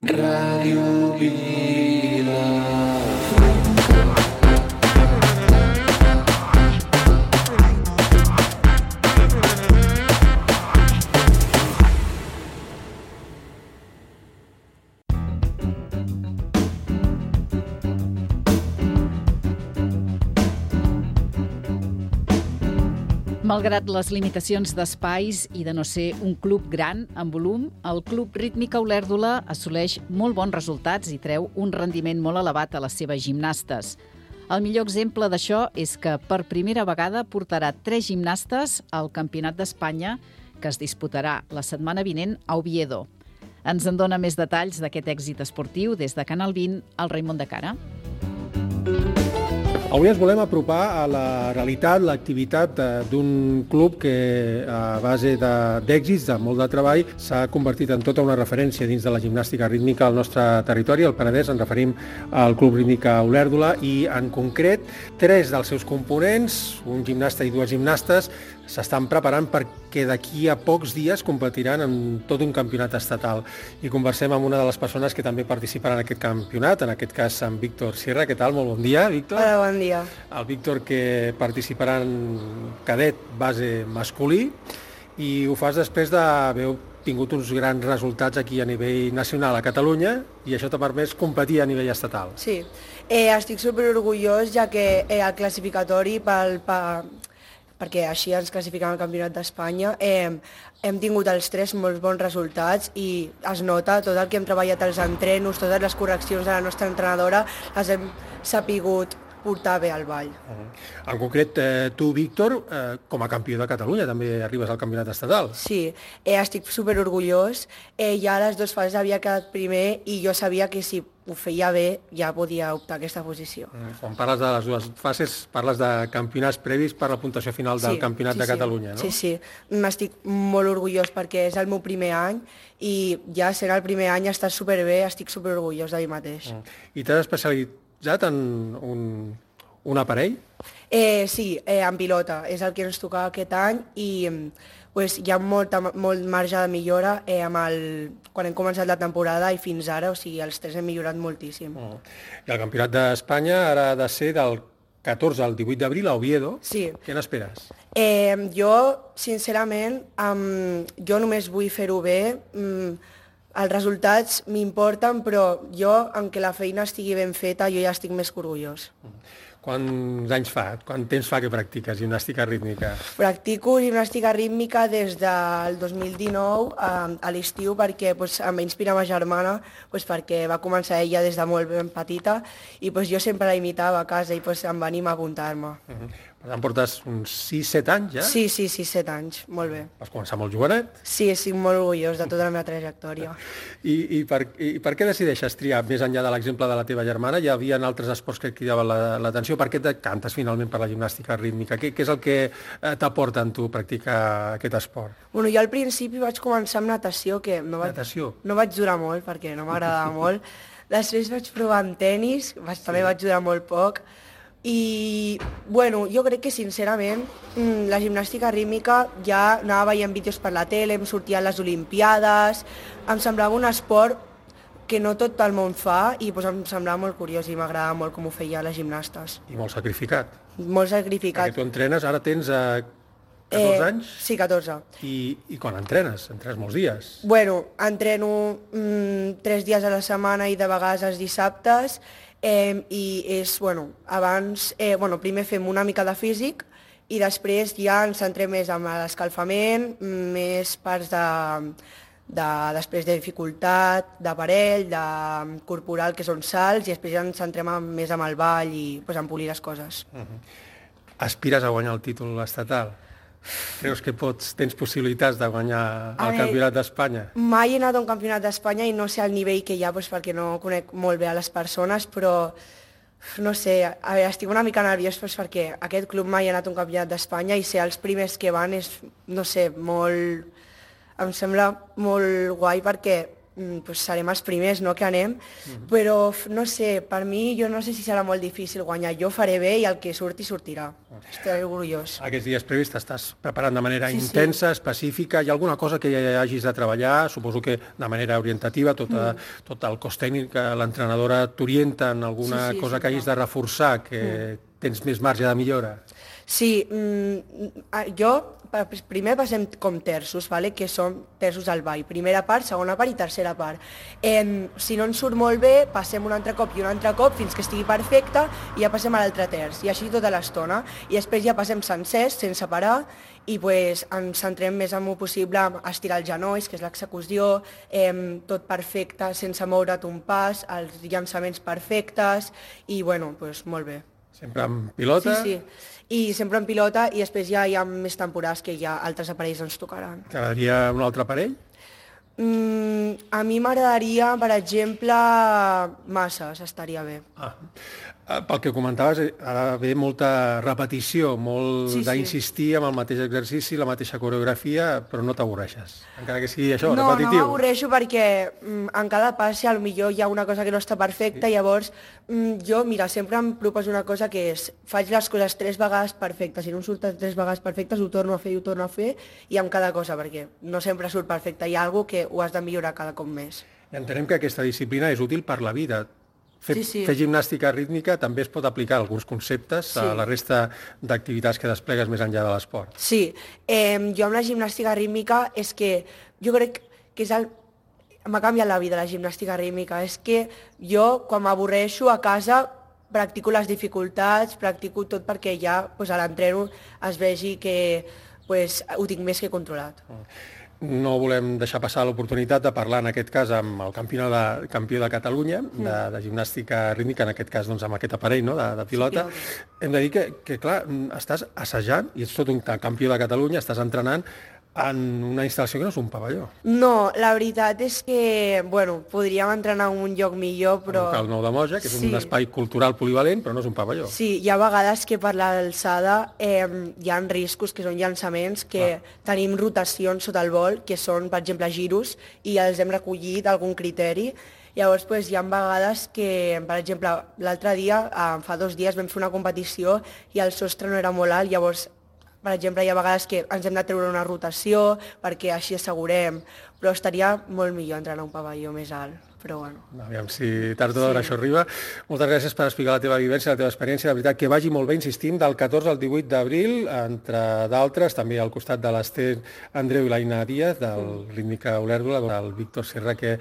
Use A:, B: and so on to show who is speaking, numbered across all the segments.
A: Ràdio Vila.
B: Malgrat les limitacions d'espais i de no ser un club gran en volum, el Club Rítmica Olèrdola assoleix molt bons resultats i treu un rendiment molt elevat a les seves gimnastes. El millor exemple d'això és que per primera vegada portarà 3 gimnastes al Campionat d'Espanya, que es disputarà la setmana vinent a Oviedo. Ens en dona més detalls d'aquest èxit esportiu des de Canal 20, el Raimon de Cara.
C: Avui ens volem apropar a la realitat, l'activitat d'un club que a base d'èxits, de molt de treball, s'ha convertit en tota una referència dins de la gimnàstica rítmica al nostre territori, al Penedès. Ens referim al Club Rítmica Olèrdola i, en concret, 3 dels seus components, un gimnasta i 2 gimnastes, s'estan preparant perquè d'aquí a pocs dies competiran en tot un campionat estatal. I conversem amb una de les persones que també participaran en aquest campionat, en aquest cas amb Víctor Sierra. Què tal? Molt bon dia, Víctor.
D: Hola, bon dia.
C: El Víctor, que participarà en cadet base masculí, i ho fas després d'haver tingut uns grans resultats aquí a nivell nacional a Catalunya, i això t'ha permès competir a nivell estatal.
D: Sí, estic superorgullós, ja que el classificatori perquè així ens classificam al Campionat d'Espanya. Hem tingut els 3 molt bons resultats i es nota tot el que hem treballat als entrenos, totes les correccions de la nostra entrenadora, les hem sapigut portar bé al ball.
C: En concret, tu, Víctor, com a campió de Catalunya, també arribes al Campionat estatal.
D: Sí, estic superorgullós. Ja a les 2 fases havia quedat primer i jo sabia que si ho feia bé ja podia optar a aquesta posició.
C: Quan parles de les 2 fases, parles de campionats previs per la puntuació final del Campionat de Catalunya, no?
D: Sí, sí. M'estic molt orgullós perquè és el meu primer any i ja sent el primer any està superbé, estic superorgullós de mi mateix.
C: I t'has especialitzat en un aparell?
D: Sí, en pilota. És el que ens tocava aquest any i hi ha molt marge de millora quan hem començat la temporada i fins ara, o sigui, els 3 hem millorat moltíssim.
C: I el Campionat d'Espanya ara ha de ser del 14 al 18 d'abril a Oviedo.
D: Sí.
C: Què n'esperes?
D: Jo, sincerament, jo només vull fer-ho bé. Els resultats m'importen, però jo, en què la feina estigui ben feta, jo ja estic més que orgullós.
C: Quants anys fa? Quant temps fa que practiques gimnàstica rítmica?
D: Practico gimnàstica rítmica des del 2019 a l'estiu perquè em va inspirar ma germana perquè va començar ella des de molt ben petita i jo sempre la imitava a casa i em va animar a apuntar-me.
C: Per tant, portes uns 6-7 anys ja?
D: Sí, 7 anys, molt bé.
C: Vas començar molt jovenet?
D: Sí, estic molt orgullós de tota la meva trajectòria.
C: I per què decideixes triar, més enllà de l'exemple de la teva germana? Hi havia altres esports que et cridaven l'atenció. Per què et decantes finalment per la gimnàstica rítmica? Què és el que t'aporta en tu practicar aquest esport?
D: Bueno, jo al principi vaig començar amb natació, que no vaig durar molt perquè no m'agradava molt. Després vaig provar amb tenis, també vaig durar molt poc. I, jo crec que, sincerament, la gimnàstica rítmica ja anava veient vídeos per la tele, em sortien les Olimpiades, em semblava un esport que no tot el món fa i em semblava molt curiós i m'agradava molt com ho feia les gimnastes.
C: I molt sacrificat.
D: Molt sacrificat.
C: Perquè tu entrenes, ara tens 14 anys?
D: Sí, 14.
C: I quan entrenes? Entrenes molts dies?
D: Entreno 3 dies a la setmana i de vegades els dissabtes. Abans, primer fem una mica de físic i després ja ens centrem més en l'escalfament, més parts després de dificultat, d'aparell, de corporal, que són salts, i després ja ens centrem més en el ball i en polir les coses.
C: Aspires a guanyar el títol estatal? Creus que tens possibilitats de guanyar el Campionat d'Espanya?
D: Mai he anat a un Campionat d'Espanya i no sé el nivell que hi ha perquè no conec molt bé a les persones, però no sé, estic una mica nerviós perquè aquest club mai ha anat a un Campionat d'Espanya i ser els primers que van és, no sé, em sembla molt guai perquè pues serem els primers, no?, que anem, però no sé, per mi jo no sé si serà molt difícil guanyar. Jo faré bé i el que surti, sortirà. Estaré orgullós.
C: Aquests dies previs t'estàs preparant de manera intensa, específica. Hi ha alguna cosa que ja hagis de treballar? Suposo que de manera orientativa, tot el cos tècnic, que l'entrenadora t'orienta en alguna cosa que hagis de reforçar, que tens més marge de millora?
D: Sí, jo primer passem com terços, que són terços al ball, primera part, segona part i tercera part. Si no ens surt molt bé, passem un altre cop i un altre cop fins que estigui perfecte i ja passem a l'altre terç, i així tota l'estona. I després ja passem sencers, sense parar, i ens centrem més en el possible a estirar els genolls, que és l'execució, tot perfecte, sense moure't un pas, els llançaments perfectes, i bueno, molt bé.
C: Sempre en pilota?
D: Sí. I sempre en pilota, i després ja hi ha més temporades que ja altres aparells ens tocaran.
C: T'agradaria un altre aparell?
D: A mi m'agradaria, per exemple, masses, estaria bé.
C: Pel que comentaves, ha d'haver molta repetició, molt d'insistir en el mateix exercici, la mateixa coreografia, però no t'avorreixes, encara que sigui això, repetitiu.
D: No m'avorreixo perquè en cada passe potser hi ha una cosa que no està perfecta, llavors jo, mira, sempre em proposo una cosa que és, faig les coses 3 vegades perfectes, si no em surten 3 vegades perfectes ho torno a fer i ho torno a fer, i amb cada cosa, perquè no sempre surt perfecte, hi ha alguna cosa que ho has de millorar cada cop més.
C: I entenem que aquesta disciplina és útil per la vida. Fer gimnàstica rítmica també es pot aplicar alguns conceptes a la resta d'activitats que desplegues més enllà de l'esport.
D: Sí, jo amb la gimnàstica rítmica és que jo crec que m'ha canviat la vida la gimnàstica rítmica. És que jo, quan m'avorreixo a casa, practico les dificultats, practico tot perquè ja a l'entreno es vegi que ho tinc més que controlat.
C: No volem deixar passar l'oportunitat de parlar, en aquest cas, amb el campió de Catalunya de gimnàstica rítmica, en aquest cas amb aquest aparell de pilota. Hem de dir que, clar, estàs assajant, i ets tot un campió de Catalunya, estàs entrenant en una instal·lació que no és un pavelló.
D: No, la veritat és que, podríem entrenar en un lloc millor, però...
C: El local Nou de Moja, que és un espai cultural polivalent, però no és un pavelló.
D: Sí, hi ha vegades que per l'alçada hi ha riscos, que són llançaments, que tenim rotacions sota el vol, que són, per exemple, giros, i els hem recollit algun criteri. Llavors, hi ha vegades que, per exemple, l'altre dia, fa 2 dies, vam fer una competició i el sostre no era molt alt, llavors, per exemple, hi ha vegades que ens hem de treure una rotació perquè així assegurem, però estaria molt millor entrenar a un pavelló més alt, però bueno.
C: Aviam si tard o d'hora això arriba. Moltes gràcies per explicar la teva vivència, la teva experiència. La veritat, que vagi molt bé, insistim, del 14 al 18 d'abril, entre d'altres, també al costat de l'Ester Andreu i l'Aina Díaz, del Rítmica Olèrdola, del Víctor Serra, que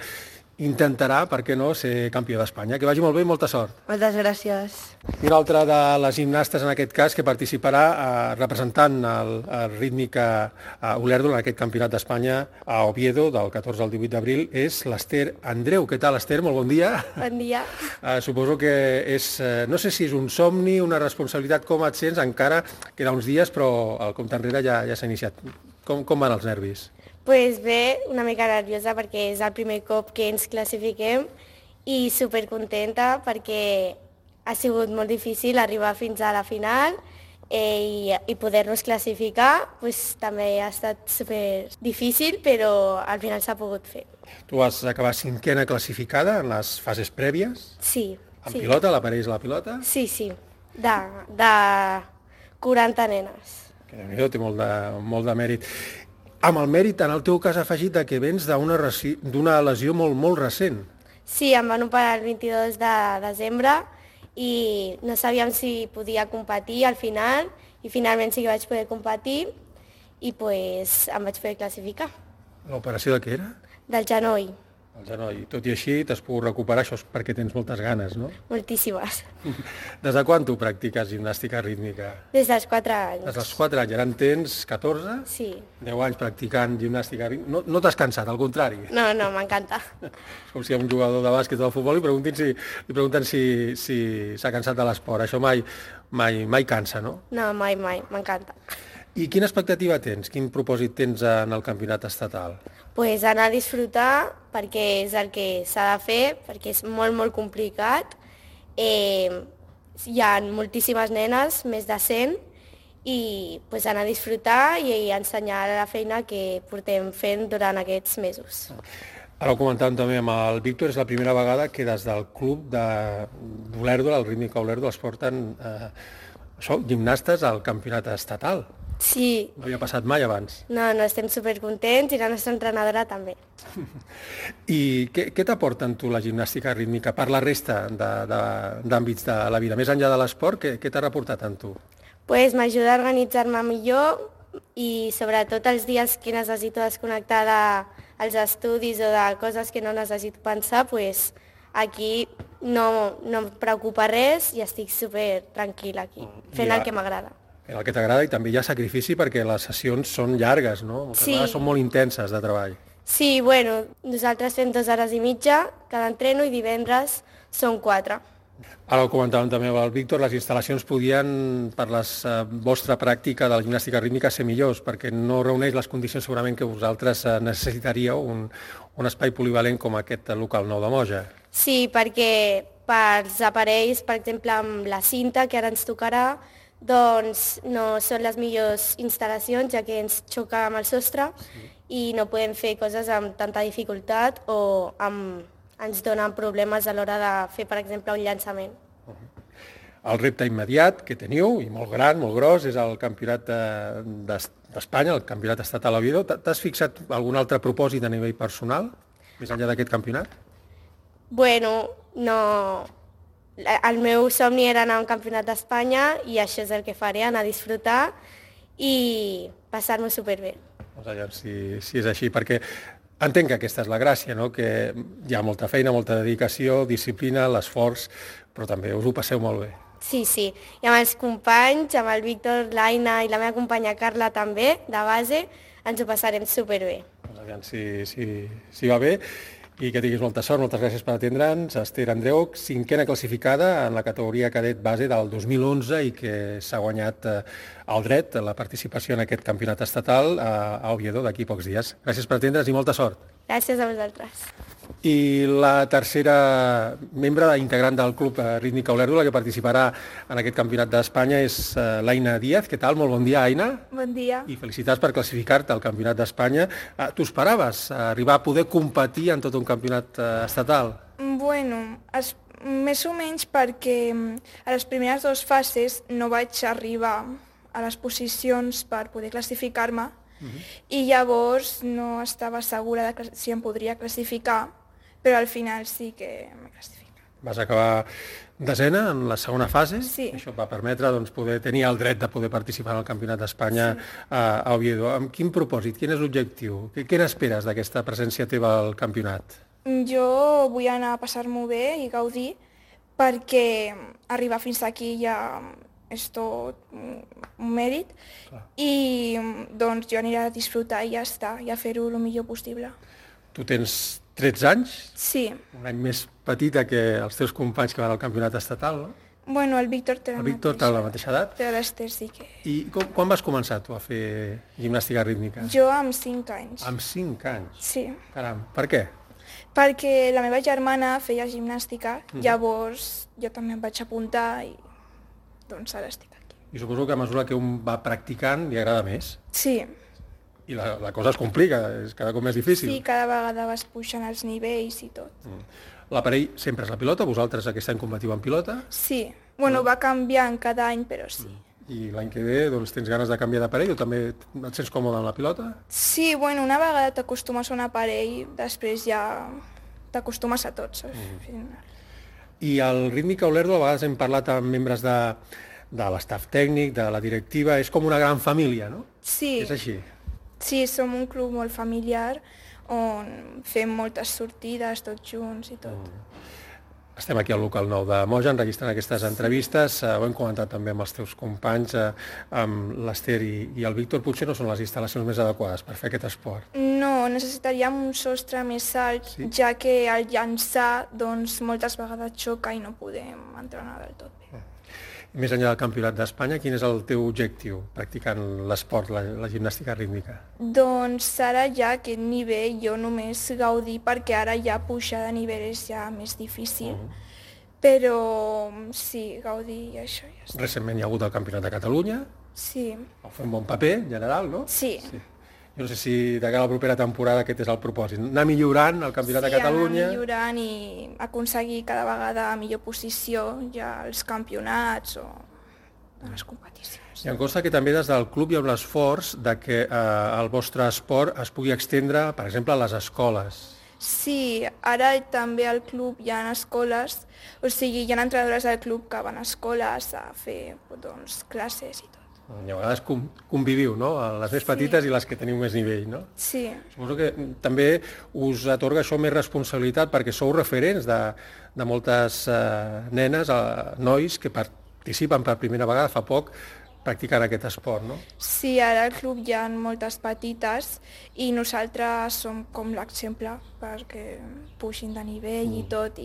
C: intentarà, per què no, ser campió d'Espanya. Que vagi molt bé i molta sort.
D: Moltes gràcies.
C: I una altra de les gimnastes, en aquest cas, que participarà representant el Rítmica Olèrdola en aquest campionat d'Espanya a Oviedo, del 14 al 18 d'abril, és l'Ester Andreu. Què tal, Ester? Molt bon dia.
E: Bon dia.
C: Suposo que és, no sé si és un somni, una responsabilitat, com et sents? Encara queda uns dies, però el compte enrere ja s'ha iniciat. Com van els nervis?
E: Pues bé, una mica nerviosa perquè és el primer cop que ens classifiquem i supercontenta perquè ha sigut molt difícil arribar fins a la final i poder-nos classificar pues, també ha estat super difícil, però al final s'ha pogut fer.
C: Tu vas acabar 5ª classificada en les fases prèvies?
E: Sí.
C: En pilota, l'aparell a la pilota?
E: Sí, de 40 nenes.
C: Que Déu-n'hi-do, té molt de mèrit. Amb el mèrit, en el teu cas, afegit que vens d'una lesió molt recent.
E: Sí, em van operar el 22 de desembre i no sabíem si podia competir al final i finalment sí que vaig poder competir i pues, em vaig poder classificar.
C: L'operació de què era?
E: Del genoll.
C: El genoll. Tot i així t'has pogut recuperar, això és perquè tens moltes ganes, no?
E: Moltíssimes.
C: Des de quan tu practiques gimnàstica rítmica?
E: Des dels 4 anys.
C: Des dels 4 anys, ara en tens 14?
E: Sí.
C: 10 anys practicant gimnàstica rítmica. No t'has cansat, al contrari.
E: No, m'encanta.
C: És com si a un jugador de bàsquet o de futbol li pregunten si s'ha cansat de l'esport. Això mai cansa, no?
E: No, mai, m'encanta.
C: I quina expectativa tens? Quin propòsit tens en el campionat estatal?
E: Pues anar a disfrutar, perquè és el que s'ha de fer, perquè és molt complicat. Hi ha moltíssimes nenes, més de 100, i pues, anar a disfrutar i ensenyar la feina que portem fent durant aquests mesos.
C: Ara ho comentàvem també amb el Víctor, és la primera vegada que des del club d'Olèrdola, el Rítmica Olèrdola, es porten gimnastes al campionat estatal.
E: Sí.
C: No havia passat mai abans.
E: No, estem supercontents i la nostra entrenadora també.
C: I què t'aporten tu la gimnàstica rítmica per la resta d'àmbits de la vida? Més enllà de l'esport, què t'ha reportat en tu?
E: Pues m'ajuda a organitzar-me millor i sobretot els dies que necessito desconnectar dels estudis o de coses que no necessito pensar, pues aquí no em preocupa res i estic super tranquil·la aquí, fent el que m'agrada.
C: En el que t'agrada, i també hi ha sacrifici perquè les sessions són llargues, no? Moltes vegades són molt intenses de treball.
E: Sí, bueno, nosaltres fem 2 hores i mitja cada entreno i divendres són 4.
C: Ara ho comentàvem també amb el Víctor, les instal·lacions podien, per la vostra pràctica de la gimnàstica rítmica, ser millors, perquè no reuneix les condicions segurament que vosaltres necessitaríeu un espai polivalent com aquest local nou de Moja.
E: Sí, perquè pels aparells, per exemple, amb la cinta que ara ens tocarà, doncs no són les millors instal·lacions, ja que ens xoca amb el sostre i no podem fer coses amb tanta dificultat o ens donen problemes a l'hora de fer, per exemple, un llançament.
C: El repte immediat que teniu, i molt gran, molt gros, és el campionat d'Espanya, el campionat estatal a Oviedo. T'has fixat algun altre propòsit a nivell personal, més enllà d'aquest campionat?
E: Bueno, no. El meu somni era anar a un campionat d'Espanya i això és el que faré, anar a disfrutar i passar-m'ho superbé.
C: Doncs allà, si és així, perquè entenc que aquesta és la gràcia, no? Que hi ha molta feina, molta dedicació, disciplina, l'esforç, però també us ho passeu molt bé.
E: Sí, i amb els companys, amb el Víctor, l'Aina i la meva companya Carla també, de base, ens ho passarem superbé.
C: Doncs allà, si va bé, i que tinguis molta sort, moltes gràcies per atendre'ns. Esther Andreu, 5a classificada en la categoria cadet base del 2011 i que s'ha guanyat el dret a la participació en aquest campionat estatal a Oviedo d'aquí pocs dies. Gràcies per atendre'ns i molta sort.
E: Gràcies a vosaltres.
C: I la tercera membre integrant del club Rítmica Olèrdola que participarà en aquest campionat d'Espanya és l'Aina Díaz. Què tal? Molt bon dia, Aina.
F: Bon dia.
C: I felicitats per classificar-te al campionat d'Espanya. Tu esperaves arribar a poder competir en tot un campionat estatal?
F: Bueno, més o menys perquè a les primeres 2 fases no vaig arribar a les posicions per poder classificar-me i llavors no estava segura de si em podria classificar, però al final sí que m'he classificat.
C: Vas acabar 10a en la segona fase.
F: Sí.
C: Això et va permetre poder tenir el dret de poder participar en el Campionat d'Espanya a Oviedo. Amb quin propòsit? Quin és l'objectiu? Què n'esperes d'aquesta presència teva al campionat?
F: Jo vull anar a passar-m'ho bé i gaudir perquè arribar fins aquí ja és tot un mèrit i doncs jo aniré a disfrutar i ja està, i a fer-ho el millor possible.
C: Tu tens 13 anys?
F: Sí.
C: Un any més petita que els teus companys que van al campionat estatal, no?
F: Bueno, el Víctor té
C: la mateixa edat.
F: Però l'Ester sí que...
C: I quan vas començar tu a fer gimnàstica rítmica?
F: Jo amb 5 anys.
C: Amb 5 anys?
F: Sí.
C: Caram, per què?
F: Perquè la meva germana feia gimnàstica, llavors jo també em vaig apuntar i doncs ara estic aquí.
C: I suposo que a mesura que un va practicant li agrada més.
F: Sí.
C: I la cosa es complica, és cada cop més difícil.
F: Sí, cada vegada vas pujant els nivells i tot.
C: L'aparell sempre és la pilota, vosaltres aquest any combatiu en pilota?
F: Sí, bueno, va canviant cada any, però sí.
C: I l'any que ve doncs, tens ganes de canviar d'aparell o també et sents còmode amb la pilota?
F: Sí, bueno, una vegada t'acostumes a un aparell, després ja t'acostumes a tot.
C: I al Rítmica Olèrdola a vegades hem parlat amb membres de l'estaf tècnic, de la directiva, és com una gran família, no?
F: Sí.
C: És així?
F: Sí, som un club molt familiar on fem moltes sortides tots junts i tot.
C: Estem aquí al local nou de Moja enregistrant aquestes entrevistes. Ho hem comentat també amb els teus companys, amb l'Ester i el Víctor. Potser no són les instal·lacions més adequades per fer aquest esport.
F: No, necessitaríem un sostre més alt, ja que al llançar doncs, moltes vegades xoca i no podem entrenar del tot bé.
C: Més enllà del Campionat d'Espanya, quin és el teu objectiu practicant l'esport, la gimnàstica rítmica?
F: Doncs ara ja aquest nivell jo només gaudir perquè ara ja pujar de nivell és ja més difícil. Però sí, gaudir i això ja està.
C: Recentment hi ha hagut el Campionat de Catalunya.
F: Sí.
C: Vau fer un bon paper, en general, no?
F: Sí.
C: Jo no sé si de cara a la propera temporada aquest és el propòsit. Anar millorant el Campionat de Catalunya.
F: Sí, anar millorant i aconseguir cada vegada millor posició ja als campionats o a les competicions.
C: I em consta que també des del club hi ha un esforç de que el vostre esport es pugui extendre, per exemple, a les escoles.
F: Sí, ara també al club hi ha escoles, o sigui, hi ha entrenadores del club que van a escoles a fer doncs, classes i tot.
C: I a vegades conviviu, no? Les més petites i les que teniu més nivell, no?
F: Sí.
C: Suposo que també us atorga això més responsabilitat perquè sou referents de moltes nenes, nois que participen per primera vegada fa poc practicant aquest esport, no?
F: Sí, ara al club hi ha moltes petites i nosaltres som com l'exemple perquè pugin de nivell i tot.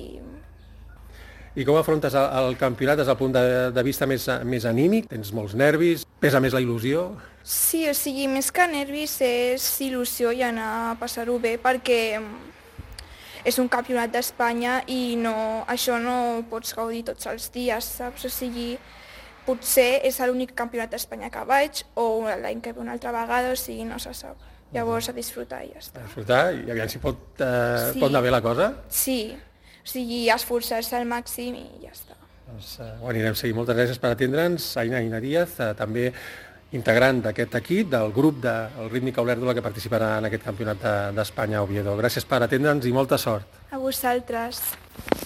C: I com afrontes el campionat des del punt de vista més anímic? Tens molts nervis? Pesa més la il·lusió?
F: Sí, o sigui, més que nervis és il·lusió i anar a passar-ho bé perquè és un campionat d'Espanya i això no pots gaudir tots els dies, saps? O sigui, potser és l'únic campionat d'Espanya que vaig o l'any que ve una altra vegada, o sigui, no se sap. Llavors a disfrutar i ja està.
C: A disfrutar i aviam si pot anar bé la cosa?
F: Sí, o sigui, esforçar-se al màxim i ja està.
C: Doncs ho anirem seguint. Moltes gràcies per atendre'ns, Aina Díaz, també integrant d'aquest equip, del grup del Rítmica Olèrdola que participarà en aquest campionat d'Espanya a Oviedo. Gràcies per atendre'ns i molta sort.
F: A vosaltres.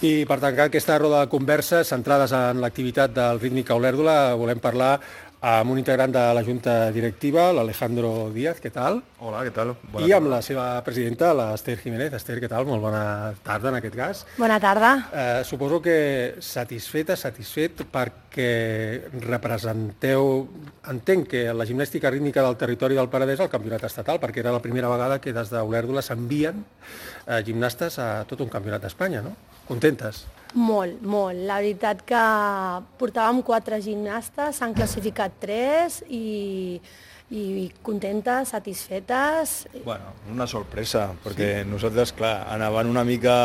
C: I per tancar aquesta roda de converses centrades en l'activitat del Rítmica Olèrdola, volem parlar amb un integrant de la Junta Directiva, l'Alejandro Díaz, què tal?
G: Hola, què tal?
C: I amb la seva presidenta, l'Ester Jiménez. Ester, què tal? Molt bona tarda en aquest cas.
H: Bona tarda.
C: Suposo que satisfet perquè representeu, entenc que la gimnàstica rítmica del territori del Penedès al campionat estatal, perquè era la primera vegada que des d'Olèrdola s'envien gimnastes a tot un campionat d'Espanya, no? Contentes?
H: Molt, molt. La veritat que portàvem 4 gimnastes, s'han classificat 3 i contentes, satisfetes.
G: Bueno, una sorpresa, perquè nosaltres, clar, anàvem una mica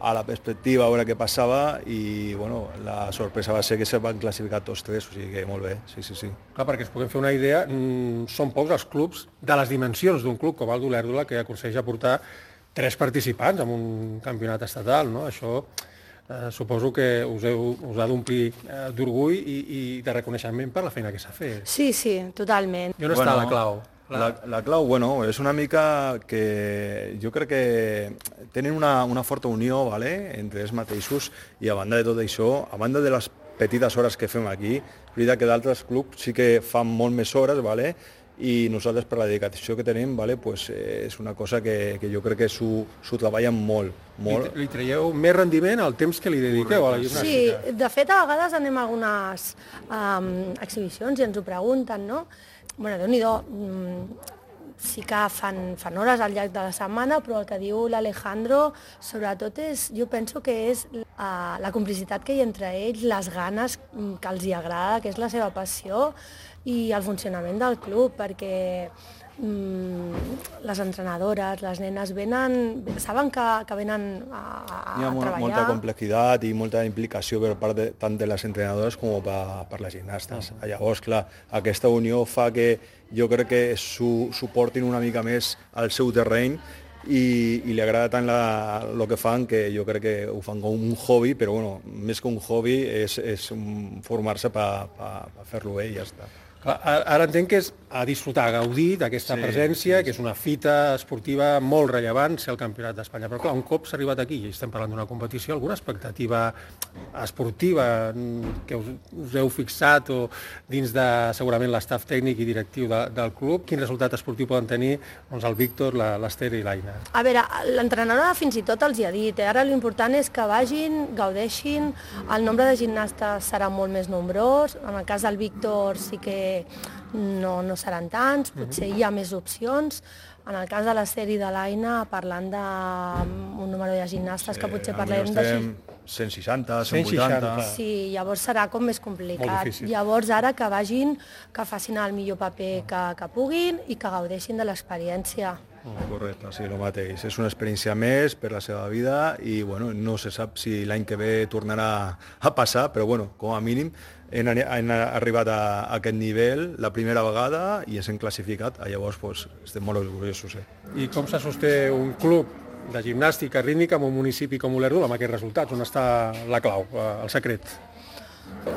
G: a la perspectiva a veure què passava i, bueno, la sorpresa va ser que se van classificar tots 3, o sigui que molt bé, sí.
C: Clar, perquè es puguem fer una idea, són pocs els clubs de les dimensions d'un club com el d'Olèrdola que aconsegueix aportar 3 participants en un campionat estatal, no? Això suposo que us ha d'omplir d'orgull i de reconeixement per la feina que s'ha fet.
H: Sí, totalment.
C: I on està la clau?
G: La clau, bueno, és una mica que jo crec que tenen una forta unió, ¿vale?, entre ells mateixos i a banda de tot això, a banda de les petites hores que fem aquí, és veritat que d'altres clubs sí que fan molt més hores, ¿vale?, i nosaltres per la dedicació que tenim, ¿vale?, pues, és una cosa que jo crec que s'ho treballen molt.
C: Li traieu més rendiment al temps que li dediqueu a la gimnàstica?
H: Sí, de fet a vegades anem a algunes exhibicions i ens ho pregunten, no? Bueno, Déu-n'hi-do, sí que fan hores al llarg de la setmana, però el que diu l'Alejandro sobretot jo penso que és la complicitat que hi ha entre ells, les ganes que els hi agrada, que és la seva passió, i el funcionament del club, perquè les entrenadores, les nenes saben que venen a treballar.
G: Hi ha molta complexitat i molta implicació per part tant de les entrenadores com per les gimnastes. Llavors, clar, aquesta unió fa que jo crec que s'ho portin una mica més al seu terreny i li agrada tant el que fan, que jo crec que ho fan com un hobby, però bueno, més que un hobby és formar-se per fer-lo bé i ja està.
C: Ara entenc que és a disfrutar, a gaudir d'aquesta presència, que és una fita esportiva molt rellevant, ser el campionat d'Espanya. Però clar, un cop s'ha arribat aquí i estem parlant d'una competició, alguna expectativa esportiva que us heu fixat o dins de segurament l'estaf tècnic i directiu del club? Quin resultat esportiu poden tenir el Víctor, l'Ester i l'Aina?
H: A veure, l'entrenadora fins i tot els hi ha dit, ara l'important és que vagin, gaudeixin, el nombre de gimnastes serà molt més nombrós, en el cas del Víctor sí que no seran tants, potser hi ha més opcions. En el cas de l'Ester i de l'Aina, parlant d'un número de gimnastes que potser parlem de...
G: 160, 180...
H: Sí, llavors serà com més complicat. Llavors ara que vagin, que facin el millor paper que puguin i que gaudeixin de l'experiència.
G: Correcte, sí, el mateix. És una experiència més per la seva vida i bueno, no se sap si l'any que ve tornarà a passar, però bueno, com a mínim hem arribat a aquest nivell la primera vegada i ens hem classificat, llavors pues, estem molt orgullosos.
C: I com se sosté un club de gimnàstica rítmica en un municipi com Olèrdola amb aquests resultats? On està la clau, el secret?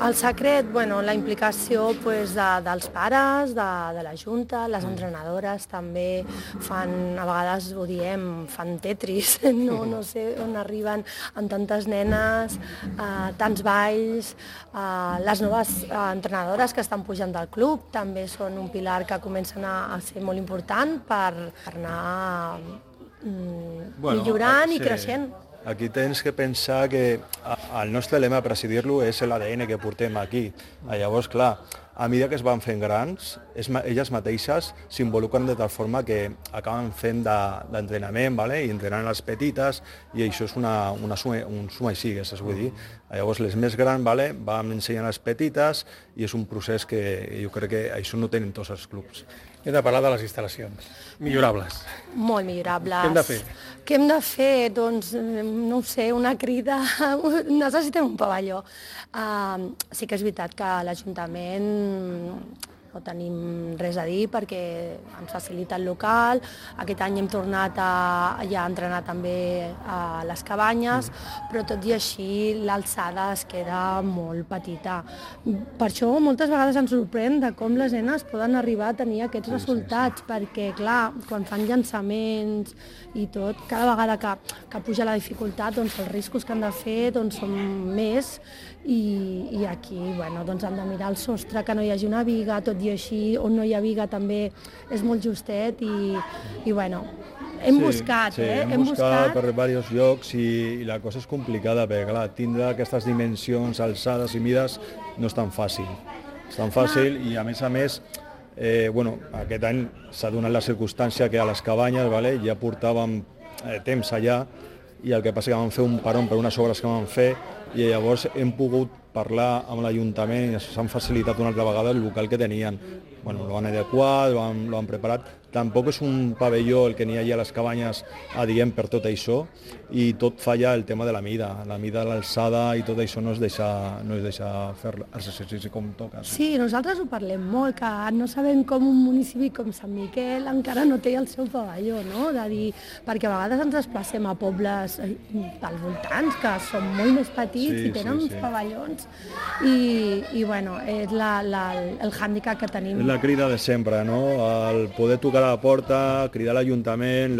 H: El secret, bueno, la implicació pues, dels pares, de la Junta, les entrenadores també fan, a vegades ho diem, fan tetris, no sé on arriben amb tantes nenes, tants balls. Les noves entrenadores que estan pujant del club també són un pilar que comencen a ser molt important per anar millorant i creixent.
G: Aquí tens que pensar que el nostre lema, per així dir-lo, és l'ADN que portem aquí. Llavors, clar, a mesura que es van fent grans, elles mateixes s'involucren de tal forma que acaben fent d'entrenament, i entrenant les petites, i això és un suma i sigues, vull dir. Llavors, les més grans van ensenyant les petites i és un procés que jo crec que això no tenen tots els clubs.
C: Hem de parlar de les instal·lacions. Millorables.
H: Molt millorables.
C: Què hem de fer?
H: Què hem de fer? Doncs, no ho sé, una crida. Necessitem un pavelló. Sí que és veritat que l'Ajuntament no tenim res a dir perquè ens facilita el local. Aquest any hem tornat a entrenar també a les cabanyes, però tot i així l'alçada es queda molt petita. Per això moltes vegades ens sorprèn de com les nenes poden arribar a tenir aquests resultats, perquè clar, quan fan llançaments i tot, cada vegada que puja la dificultat, doncs els riscos que han de fer són més i aquí doncs han de mirar el sostre, que no hi hagi una viga, tot i així on no hi ha viga també és molt justet i hem buscat.
G: Hem buscat per diversos llocs i la cosa és complicada perquè clar, tindre aquestes dimensions, alçades i mides no és tan fàcil. És tan fàcil i a més aquest any s'ha donat la circumstància que a les cabanyes ja portàvem temps allà i el que passa que vam fer un parón per unes obres que vam fer i llavors hem pogut parlar amb l'Ajuntament i s'han facilitat una altra vegada el local que tenien. Lo han adequat, lo han preparat. Tampoc és un pavelló el que n'hi ha a les cabanyes adient per tot això i tot falla el tema de la mida, l'alçada i tot això no es deixa fer l'exercici com toca.
H: Sí, nosaltres ho parlem molt, que no sabem com un municipi com Sant Miquel encara no té el seu pavelló, no? De dir, perquè a vegades ens desplacem a pobles als voltants que són molt més petits i tenen uns pavellons i és el hàndicap que tenim.
G: És la crida de sempre, no? El poder tocar a la porta, cridar a l'Ajuntament,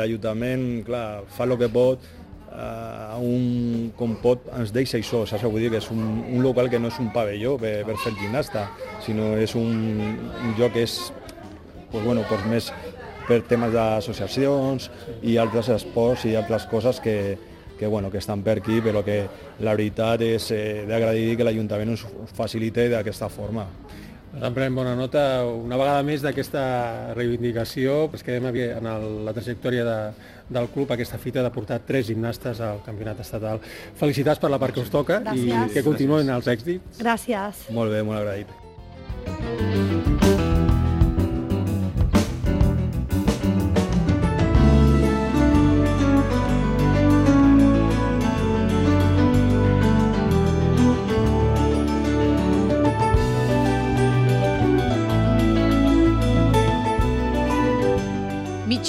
G: clar, fa el que pot, com pot ens deixa això, saps? Vull dir que és un local que no és un pavelló per fer gimnasta, sinó és un lloc que és més per temes d'associacions i altres esports i altres coses que estan per aquí, però que la veritat és d'agrair que l'Ajuntament ens facilite d'aquesta forma.
C: En prenem bona nota. Una vegada més d'aquesta reivindicació, es quedem en la trajectòria del club, aquesta fita de portar 3 gimnastes al campionat estatal. Felicitats per la part que us toca i que continuïn els èxits.
H: Gràcies.
G: Molt bé, molt agraït.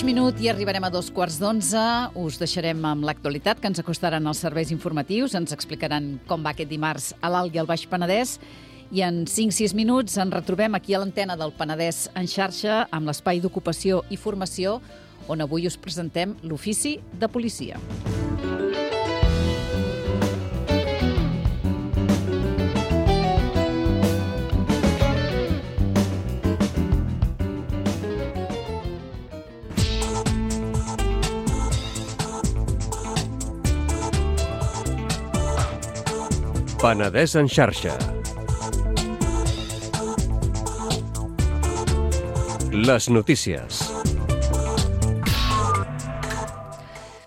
B: Minut i arribarem a 11:15. Us deixarem amb l'actualitat, que ens acostaran els serveis informatius. Ens explicaran com va aquest dimarts a l'Alt i al Baix Penedès. I en 5-6 minuts ens retrobem aquí a l'antena del Penedès en xarxa amb l'espai d'ocupació i formació, on avui us presentem l'ofici de policia.
I: Penedès en xarxa. Les notícies.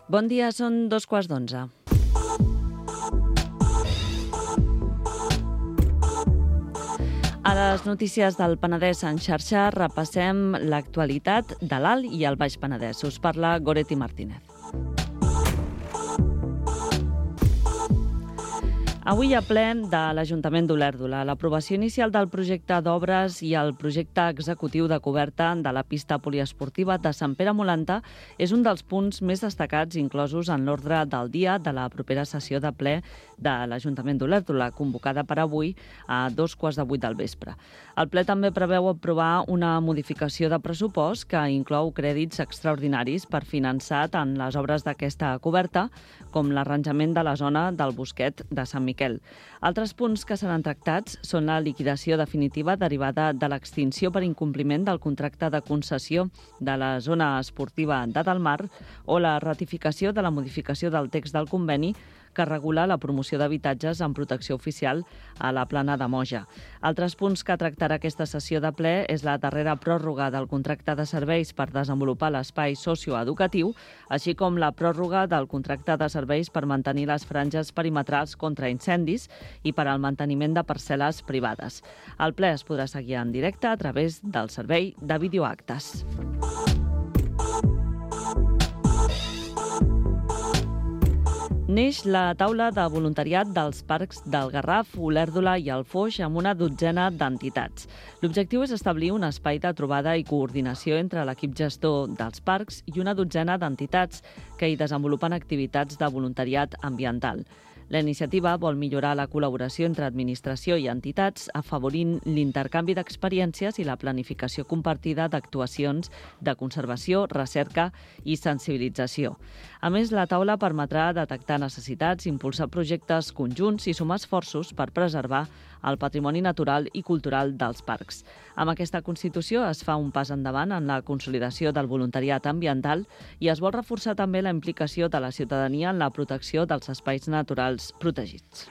J: Bon dia, són 11:15. A les notícies del Penedès en xarxa repassem l'actualitat de l'Alt i el Baix Penedès. Us parla Goretti Martínez. Avui a ple de l'Ajuntament d'Olèrdola, l'aprovació inicial del projecte d'obres i el projecte executiu de coberta de la pista poliesportiva de Sant Pere Molanta és un dels punts més destacats inclosos en l'ordre del dia de la propera sessió de ple de l'Ajuntament d'Olèrdola, convocada per avui a 7:15 del vespre. El ple també preveu aprovar una modificació de pressupost que inclou crèdits extraordinaris per finançar tant les obres d'aquesta coberta com l'arranjament de la zona del Bosquet de Sant Miquel. Altres punts que seran tractats són la liquidació definitiva derivada de l'extinció per incompliment del contracte de concessió de la zona esportiva de Delmar o la ratificació de la modificació del text del conveni que regula la promoció d'habitatges en protecció oficial a la Plana de Moja. Altres punts que tractarà aquesta sessió de ple és la darrera pròrroga del contracte de serveis per desenvolupar l'espai socioeducatiu, així com la pròrroga del contracte de serveis per mantenir les franges perimetrals contra incendis i per al manteniment de parcel·les privades. El ple es podrà seguir en directe a través del servei de videoactes. Neix la taula de voluntariat dels parcs del Garraf, Olèrdola i el Foix amb una 12 d'entitats. L'objectiu és establir un espai de trobada i coordinació entre l'equip gestor dels parcs i una 12 d'entitats que hi desenvolupen activitats de voluntariat ambiental. La iniciativa vol millorar la col·laboració entre administració i entitats, afavorint l'intercanvi d'experiències i la planificació compartida d'actuacions de conservació, recerca i sensibilització. A més, la taula permetrà detectar necessitats, impulsar projectes conjunts i sumar esforços per preservar el patrimoni natural i cultural dels parcs. Amb aquesta Constitució es fa un pas endavant en la consolidació del voluntariat ambiental i es vol reforçar també la implicació de la ciutadania en la protecció dels espais naturals protegits.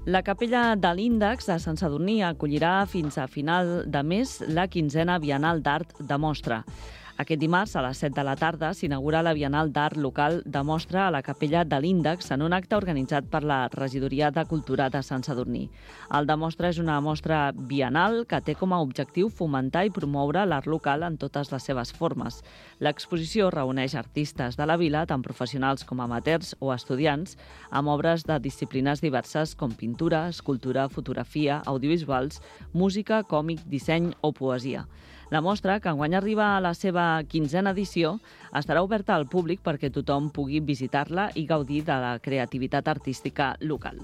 J: La capella de l'Índex de Sant Sadurní acollirà fins a final de mes la 15a Bienal d'Art de Mostra. Aquest dimarts, a les 7 de la tarda, s'inaugura la Bienal d'Art local de Mostra a la capella de l'Índex en un acte organitzat per la Regidoria de Cultura de Sant Sadurní. El de Mostra és una mostra bienal que té com a objectiu fomentar i promoure l'art local en totes les seves formes. L'exposició reuneix artistes de la vila, tant professionals com amateurs o estudiants, amb obres de disciplines diverses com pintura, escultura, fotografia, audiovisuals, música, còmic, disseny o poesia. La mostra, que enguany arriba a la seva 15a edició, estarà oberta al públic perquè tothom pugui visitar-la i gaudir de la creativitat artística local.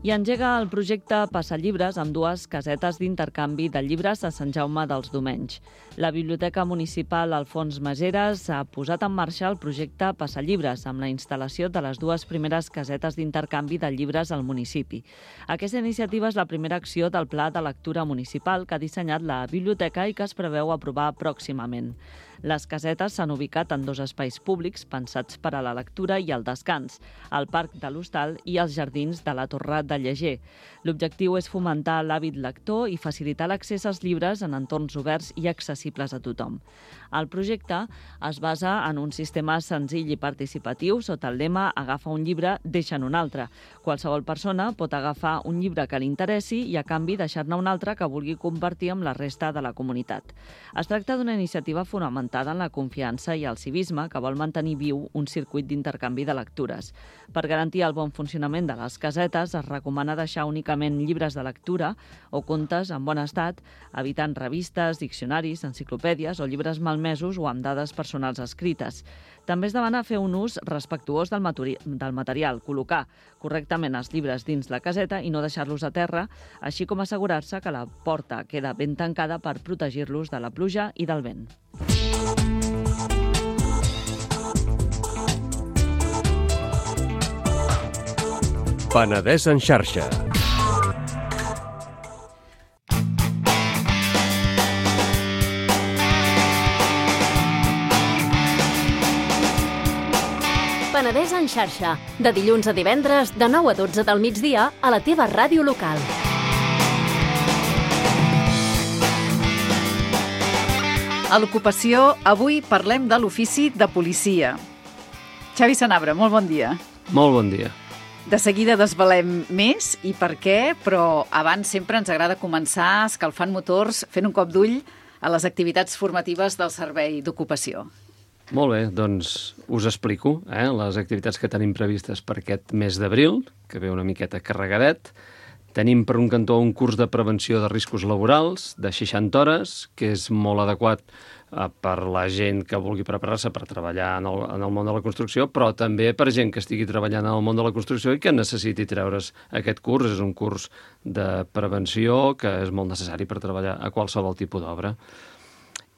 J: I engega el projecte Passallibres amb 2 casetes d'intercanvi de llibres a Sant Jaume dels Domenys. La Biblioteca Municipal Alfons Maseres ha posat en marxa el projecte Passallibres amb la instal·lació de les 2 primeres casetes d'intercanvi de llibres al municipi. Aquesta iniciativa és la primera acció del Pla de Lectura Municipal que ha dissenyat la biblioteca i que es preveu aprovar pròximament. Les casetes s'han ubicat en 2 espais públics pensats per a la lectura i el descans, el Parc de l'Hostal i els jardins de la Torre de Lleger. L'objectiu és fomentar l'hàbit lector i facilitar l'accés als llibres en entorns oberts i accessibles a tothom. El projecte es basa en un sistema senzill i participatiu sota el lema «Agafa un llibre, deixa'n un altre». Qualsevol persona pot agafar un llibre que li interessi i, a canvi, deixar-ne un altre que vulgui compartir amb la resta de la comunitat. Es tracta d'una iniciativa fonamentada en la confiança i el civisme que vol mantenir viu un circuit d'intercanvi de lectures. Per garantir el bon funcionament de les casetes, es recomana deixar únicament llibres de lectura o contes en bon estat, evitant revistes, diccionaris, enciclopèdies o llibres malmesos o amb dades personals escrites. També es demana fer un ús respectuós del material, col·locar correctament els llibres dins la caseta i no deixar-los a terra, així com assegurar-se que la porta queda ben tancada per protegir-los de la pluja i del vent.
I: Penedès en xarxa.
K: Penedès en xarxa, de dilluns a divendres, de 9 a 12 del migdia, a la teva ràdio local.
B: A l'ocupació, avui parlem de l'ofici de policia. Xavi Sanabra, molt bon dia.
L: Molt bon dia.
B: De seguida desvelem més i per què, però abans sempre ens agrada començar escalfant motors, fent un cop d'ull a les activitats formatives del Servei d'Ocupació.
L: Molt bé, doncs us explico les activitats que tenim previstes per aquest mes d'abril, que ve una miqueta carregadet. Tenim per un cantó un curs de prevenció de riscos laborals de 60 hores, que és molt adequat per la gent que vulgui preparar-se per treballar en el món de la construcció, però també per gent que estigui treballant en el món de la construcció i que necessiti treure's aquest curs. És un curs de prevenció que és molt necessari per treballar a qualsevol tipus d'obra.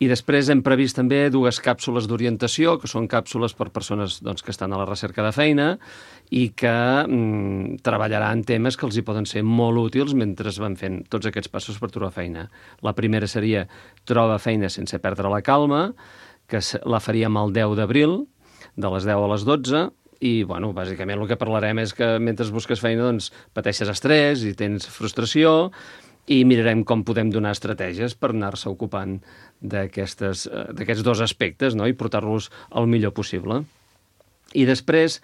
L: I després hem previst també 2 càpsules d'orientació, que són càpsules per persones que estan a la recerca de feina i que treballaran temes que els hi poden ser molt útils mentre van fent tots aquests passos per trobar feina. La primera seria Troba feina sense perdre la calma, que la faríem el 10 d'abril, de les 10 a les 12, i, bàsicament el que parlarem és que mentre busques feina, pateixes estrès i tens frustració, i mirarem com podem donar estratègies per anar-se ocupant d'aquests 2 aspectes, no? I portar-los el millor possible. I després,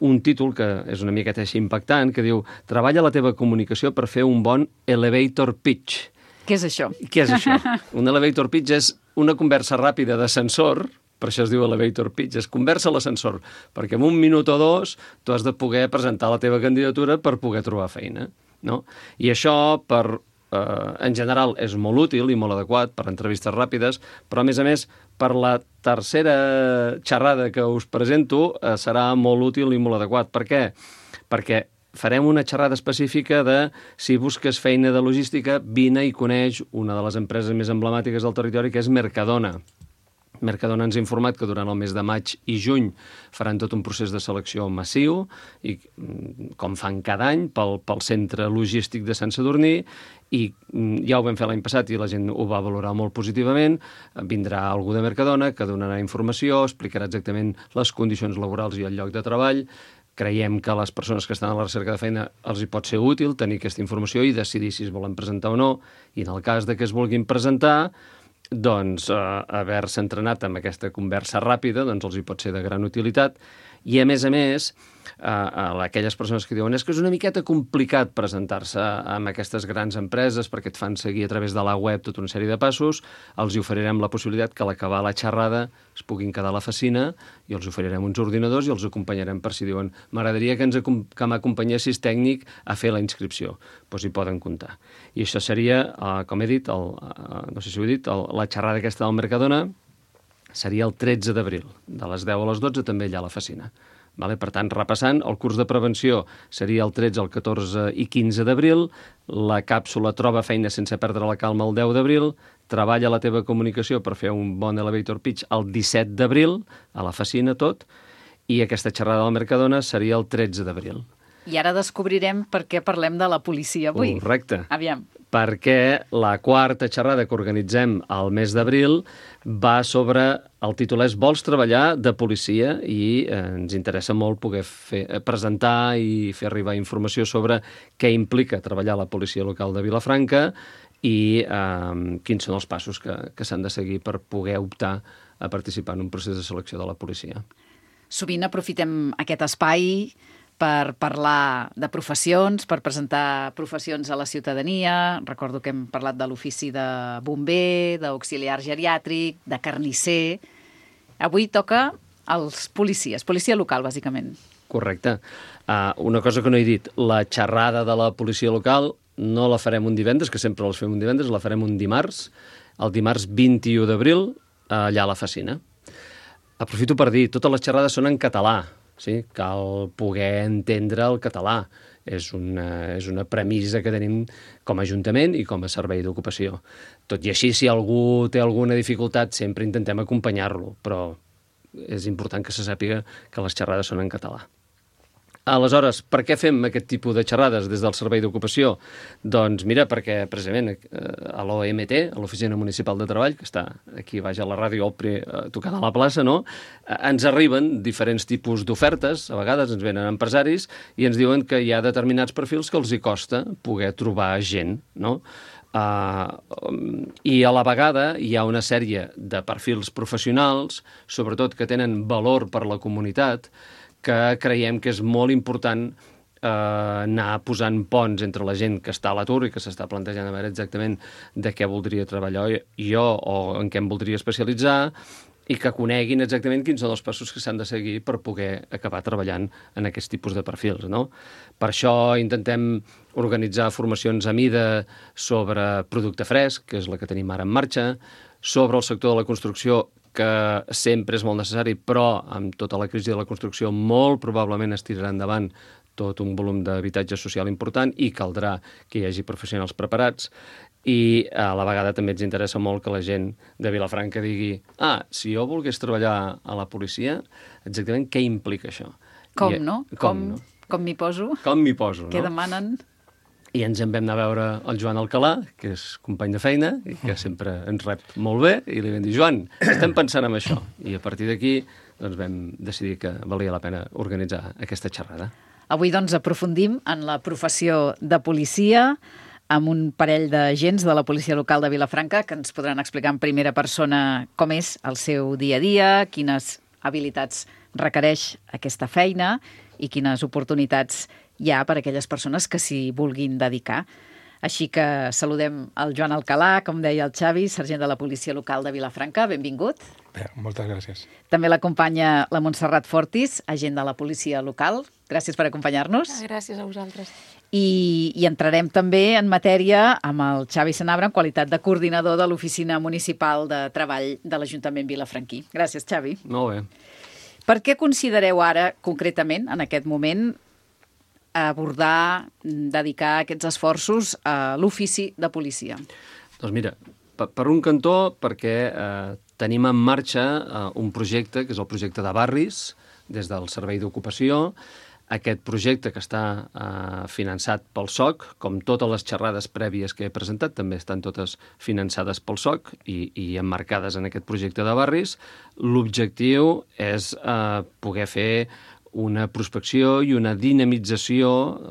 L: un títol que és una miqueta així impactant, que diu Treballa la teva comunicació per fer un bon elevator pitch.
B: Què és això?
L: Què és això? Un elevator pitch és una conversa ràpida d'ascensor, per això es diu elevator pitch, és conversa a l'ascensor, perquè en 1 minut o 2 tu has de poder presentar la teva candidatura per poder trobar feina, no? I això, en general, és molt útil i molt adequat per entrevistes ràpides, però, a més, per la tercera xerrada que us presento serà molt útil i molt adequat. Per què? Perquè farem una xerrada específica de si busques feina de logística, vine i coneix una de les empreses més emblemàtiques del territori, que és Mercadona. Mercadona ens ha informat que durant el mes de maig i juny faran tot un procés de selecció massiu, i com fan cada any, pel centre logístic de Sant Sadurní, i ja ho vam fer l'any passat i la gent ho va valorar molt positivament. Vindrà algú de Mercadona que donarà informació, explicarà exactament les condicions laborals i el lloc de treball. Creiem que a les persones que estan a la recerca de feina els hi pot ser útil tenir aquesta informació i decidir si es volen presentar o no, i en el cas de que es vulguin presentar, haver-se entrenat amb aquesta conversa ràpida els hi pot ser de gran utilitat. I, a més, a aquelles persones que diuen que és una miqueta complicat presentar-se amb aquestes grans empreses perquè et fan seguir a través de la web tota una sèrie de passos, els hi oferirem la possibilitat que a l'acabar la xerrada es puguin quedar a l'oficina i els oferirem uns ordinadors i els acompanyarem per si diuen m'agradaria que m'acompanyessis tècnic a fer la inscripció. Doncs hi poden comptar. I això seria, com he dit, no sé si ho he dit, la xerrada aquesta del Mercadona seria el 13 d'abril, de les 10 a les 12, també allà a l'oficina. Per tant, repassant, el curs de prevenció seria el 13, el 14 i 15 d'abril, la càpsula Troba feina sense perdre la calma el 10 d'abril, Treballa la teva comunicació per fer un bon elevator pitch el 17 d'abril, a l'oficina tot, i aquesta xerrada del Mercadona seria el 13 d'abril.
B: I ara descobrirem per què parlem de la policia avui.
L: Correcte.
B: Aviam.
L: Perquè la quarta xerrada que organitzem al mes d'abril va sobre, el títol és Vols treballar de policia, i ens interessa molt poder presentar i fer arribar informació sobre què implica treballar a la policia local de Vilafranca i quins són els passos que s'han de seguir per poder optar a participar en un procés de selecció de la policia.
B: Sovint aprofitem aquest espai per parlar de professions, per presentar professions a la ciutadania. Recordo que hem parlat de l'ofici de bomber, d'auxiliar geriàtric, de carnisser. Avui toca als policies, policia local, bàsicament.
L: Correcte. Una cosa que no he dit, la xerrada de la policia local no la farem un divendres, que sempre les fem un divendres, la farem un dimarts, el dimarts 21 d'abril, allà a l'oficina. Aprofito per dir, totes les xerrades són en català. Sí, cal poder entendre el català. És una premissa que tenim com a Ajuntament i com a Servei d'Ocupació. Tot i així, si algú té alguna dificultat, sempre intentem acompanyar-lo, però és important que se sàpiga que les xerrades són en català. Aleshores, per què fem aquest tipus de xerrades des del Servei d'Ocupació? Doncs mira, perquè precisament a l'OMT, a l'Oficina Municipal de Treball, que està aquí baix a la ràdio tocant a la plaça, no? Ens arriben diferents tipus d'ofertes, a vegades ens venen empresaris i ens diuen que hi ha determinats perfils que els hi costa poder trobar gent, no? I a la vegada hi ha una sèrie de perfils professionals, sobretot que tenen valor per la comunitat, que creiem que és molt important anar posant ponts entre la gent que està a l'atur i que s'està plantejant a veure exactament de què voldria treballar jo o en què em voldria especialitzar, i que coneguin exactament quins són els passos que s'han de seguir per poder acabar treballant en aquest tipus de perfils, no? Per això intentem organitzar formacions a mida sobre producte fresc, que és la que tenim ara en marxa, sobre el sector de la construcció, que sempre és molt necessari, però amb tota la crisi de la construcció molt probablement es tirarà endavant tot un volum d'habitatge social important i caldrà que hi hagi professionals preparats. I a la vegada també ens interessa molt que la gent de Vilafranca digui si jo volgués treballar a la policia, exactament què implica això?
B: Com, no? Com m'hi poso?
L: Com m'hi poso, no?
B: Què demanen?
L: I ens en vam anar a veure el Joan Alcalà, que és company de feina i que sempre ens rep molt bé, i li vam dir, Joan, estem pensant en això. I a partir d'aquí doncs, vam decidir que valia la pena organitzar aquesta xerrada.
B: Avui doncs aprofundim en la professió de policia amb un parell d'agents de la policia local de Vilafranca que ens podran explicar en primera persona com és el seu dia a dia, quines habilitats requereix aquesta feina i quines oportunitats hi ha per a aquelles persones que s'hi vulguin dedicar. Així que saludem el Joan Alcalà, com deia el Xavi, sergent de la policia local de Vilafranca. Benvingut.
M: Bé, moltes gràcies.
B: També l'acompanya la Montserrat Fortis, agent de la policia local. Gràcies per acompanyar-nos.
N: Gràcies a vosaltres.
B: I entrarem també en matèria amb el Xavi Sanabra en qualitat de coordinador de l'Oficina Municipal de Treball de l'Ajuntament vilafranquí. Gràcies, Xavi.
L: Molt bé.
B: Per què considereu ara, concretament, en aquest moment, abordar, dedicar aquests esforços a l'ofici de policia?
L: Doncs mira, per un cantó, perquè tenim en marxa un projecte, que és el projecte de barris, des del Servei d'Ocupació. Aquest projecte que està finançat pel SOC, com totes les xerrades prèvies que he presentat, també estan totes finançades pel SOC i emmarcades en aquest projecte de barris. L'objectiu és poder fer una prospecció i una dinamització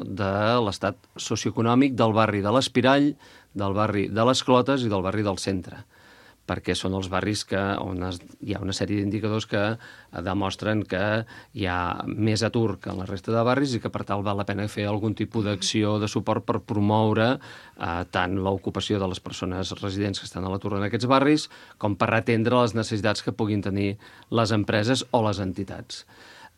L: de l'estat socioeconòmic del barri de l'Espirall, del barri de les Clotes i del barri del Centre, perquè són els barris on hi ha una sèrie d'indicadors que demostren que hi ha més atur que en la resta de barris i que per tal val la pena fer algun tipus d'acció de suport per promoure tant l'ocupació de les persones residents que estan a l'atur en aquests barris com per atendre les necessitats que puguin tenir les empreses o les entitats.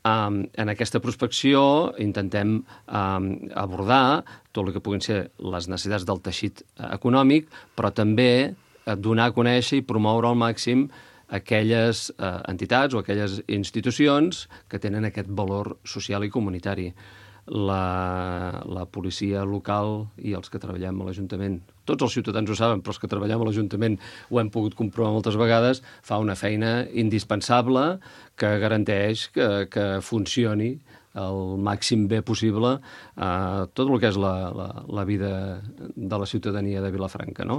L: En aquesta prospecció intentem abordar tot el que puguin ser les necessitats del teixit econòmic, però també donar a conèixer i promoure al màxim aquelles entitats o aquelles institucions que tenen aquest valor social i comunitari. La policia local i els que treballem a l'Ajuntament, tots els ciutadans ho saben, però els que treballem a l'Ajuntament ho hem pogut comprovar moltes vegades, fa una feina indispensable que garanteix que funcioni el màxim bé possible tot el que és la vida de la ciutadania de Vilafranca, no?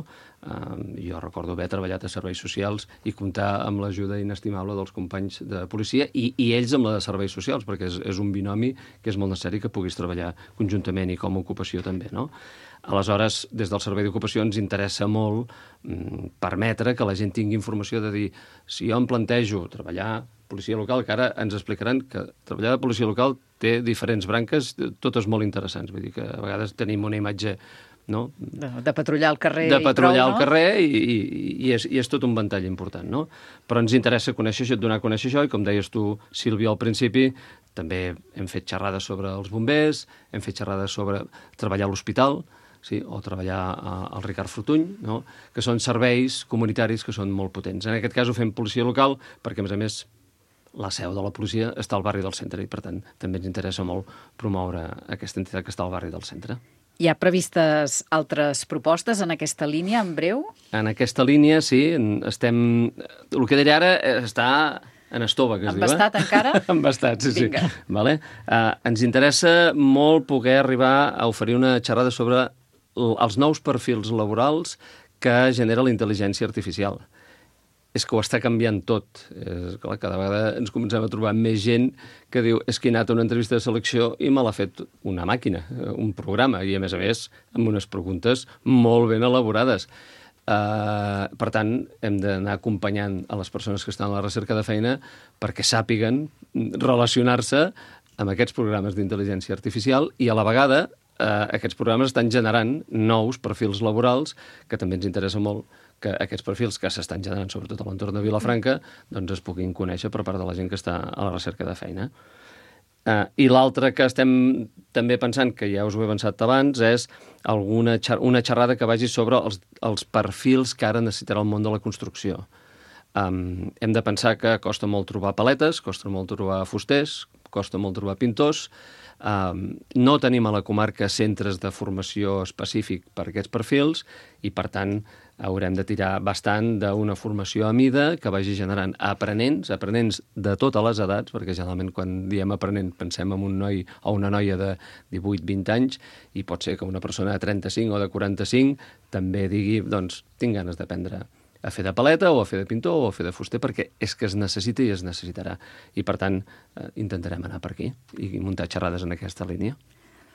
L: Jo recordo haver treballat a serveis socials i comptar amb l'ajuda inestimable dels companys de policia i ells amb la de serveis socials, perquè és un binomi que és molt necessari que puguis treballar conjuntament i com a ocupació també, no? Aleshores, des del Servei d'Ocupació ens interessa molt permetre que la gent tingui informació de dir, si jo em plantejo treballar policia local, que ara ens explicaran que treballar de policia local té diferents branques, totes molt interessants. Vull dir que a vegades tenim una imatge, no?
B: De patrullar al carrer
L: de patrullar al carrer i és tot un ventall important, no? Però ens interessa conèixer això, donar a conèixer això, i com deies tu, Sílvia, al principi, també hem fet xerrades sobre els bombers, hem fet xerrades sobre treballar a l'hospital, sí, o treballar al Ricard Fortuny, no? Que són serveis comunitaris que són molt potents. En aquest cas ho fem policia local perquè, a més, la seu de la policia està al barri del Centre i, per tant, també ens interessa molt promoure aquesta entitat que està al barri del Centre.
B: Hi ha previstes altres propostes en aquesta línia, en breu?
L: En aquesta línia, sí. Estem... El que diré ara està en estova, que es diu.
B: Embastat encara?
L: Embastat, sí.
B: Vinga.
L: Vale? Ens interessa molt poder arribar a oferir una xerrada sobre els nous perfils laborals que genera la intel·ligència artificial. és que ho està canviant tot. Clar, cada vegada ens comencem a trobar més gent que diu és que he anat a una entrevista de selecció i me l'ha fet una màquina, un programa, i a més, amb unes preguntes molt ben elaborades. Per tant, hem d'anar acompanyant a les persones que estan a la recerca de feina perquè sàpiguen relacionar-se amb aquests programes d'intel·ligència artificial i a la vegada aquests programes estan generant nous perfils laborals que també ens interessa molt que aquests perfils que s'estan generant, sobretot a l'entorn de Vilafranca, doncs es puguin conèixer per part de la gent que està a la recerca de feina. I l'altre que estem també pensant, que ja us ho he avançat abans, és una xerrada que vagi sobre els perfils que ara necessitarà el món de la construcció. Hem de pensar que costa molt trobar paletes, costa molt trobar fusters, costa molt trobar pintors. No tenim a la comarca centres de formació específic per aquests perfils i, per tant, haurem de tirar bastant d'una formació a mida que vagi generant aprenents de totes les edats, perquè generalment quan diem aprenent pensem en un noi o una noia de 18-20 anys i pot ser que una persona de 35 o de 45 també digui, doncs, tinc ganes d'aprendre a fer de paleta o a fer de pintor o a fer de fuster perquè és que es necessita i es necessitarà. I, per tant, intentarem anar per aquí i muntar xerrades en aquesta línia.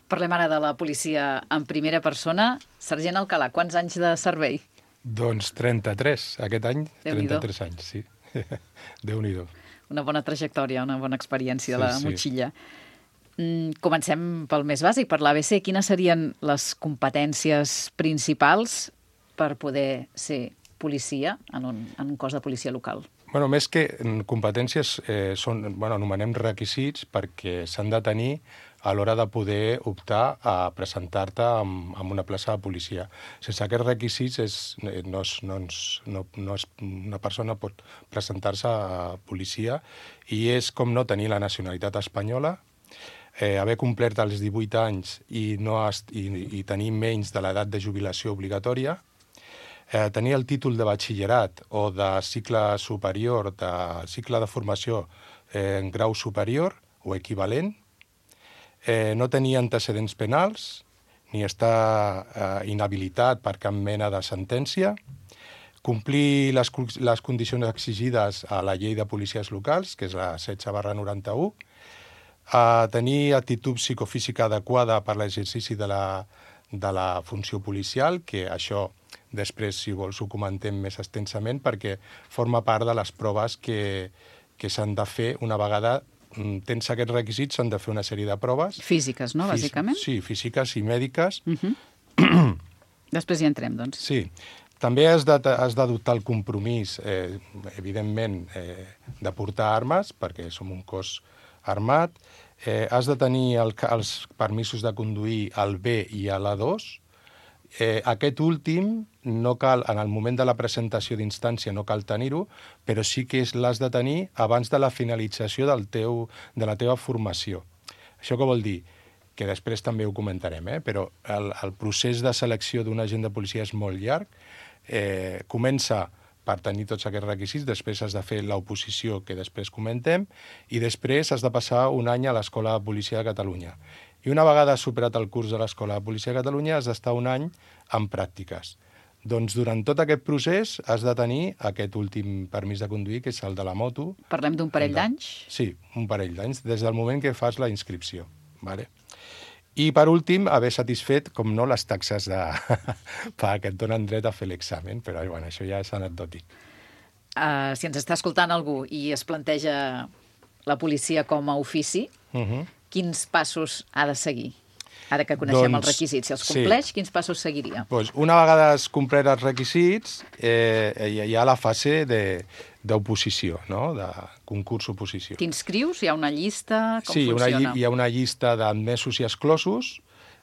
B: Parlem ara de la policia en primera persona. Sergent Alcalà, quants anys de servei?
M: Doncs 33, aquest any, 33 anys, sí. Déu-n'hi-do.
B: Una bona trajectòria, una bona experiència de la motxilla. Comencem pel més bàsic, per l'ABC. Quines serien les competències principals per poder ser policia en un cos de policia local?
M: Bueno, més que competències, anomenem requisits perquè s'han de tenir a l'hora de poder optar a presentar-te en una plaça de policia. Sense aquests requisits, una persona pot presentar-se a policia i és com no tenir la nacionalitat espanyola, haver complert els 18 anys i tenir menys de l'edat de jubilació obligatòria, tenir el títol de batxillerat o de cicle superior, de cicle de formació en grau superior o equivalent, no tenir antecedents penals, ni estar inhabilitat per cap mena de sentència, complir les condicions exigides a la llei de policies locals, que és la 16/91, tenir actitud psicofísica adequada per l'exercici de la funció policial, que això després, si vols, ho comentem més extensament, perquè forma part de les proves que s'han de fer una vegada tens aquests requisits, s'han de fer una sèrie de proves.
B: Físiques, no, bàsicament?
M: Sí, físiques i mèdiques.
B: Després hi entrem, doncs.
M: Sí. També has d'adoptar el compromís, evidentment, de portar armes, perquè som un cos armat. Has de tenir els permisos de conduir al B i a l'A2. Aquest últim no cal, en el moment de la presentació d'instància no cal tenir-ho, però sí que l'has de tenir abans de la finalització de la teva formació. Això què vol dir? Que després també ho comentarem, però el procés de selecció d'un agent de policia és molt llarg. Comença per tenir tots aquests requisits, després has de fer l'oposició, que després comentem, i després has de passar un any a l'Escola de Policia de Catalunya. I una vegada has superat el curs de l'Escola de Policia de Catalunya has d'estar un any en pràctiques. Doncs durant tot aquest procés has de tenir aquest últim permís de conduir, que és el de la moto.
B: Parlem d'un parell d'anys?
M: Sí, un parell d'anys, des del moment que fas la inscripció. Vale? I, per últim, haver satisfet, com no, les taxes que et donen dret a fer l'examen, però bueno, això ja és anecdòtic.
B: Si ens està escoltant algú i es planteja la policia com a ofici, quins passos ha de seguir? Ara que coneixem els requisits, si els compleix, quins passos seguiria?
M: Una vegada has complert els requisits, hi ha la fase d'oposició, de concurs-oposició.
B: T'inscrius? Hi ha una llista? Com
M: Sí,
B: funciona?
M: hi ha una llista d'admesos i exclosos.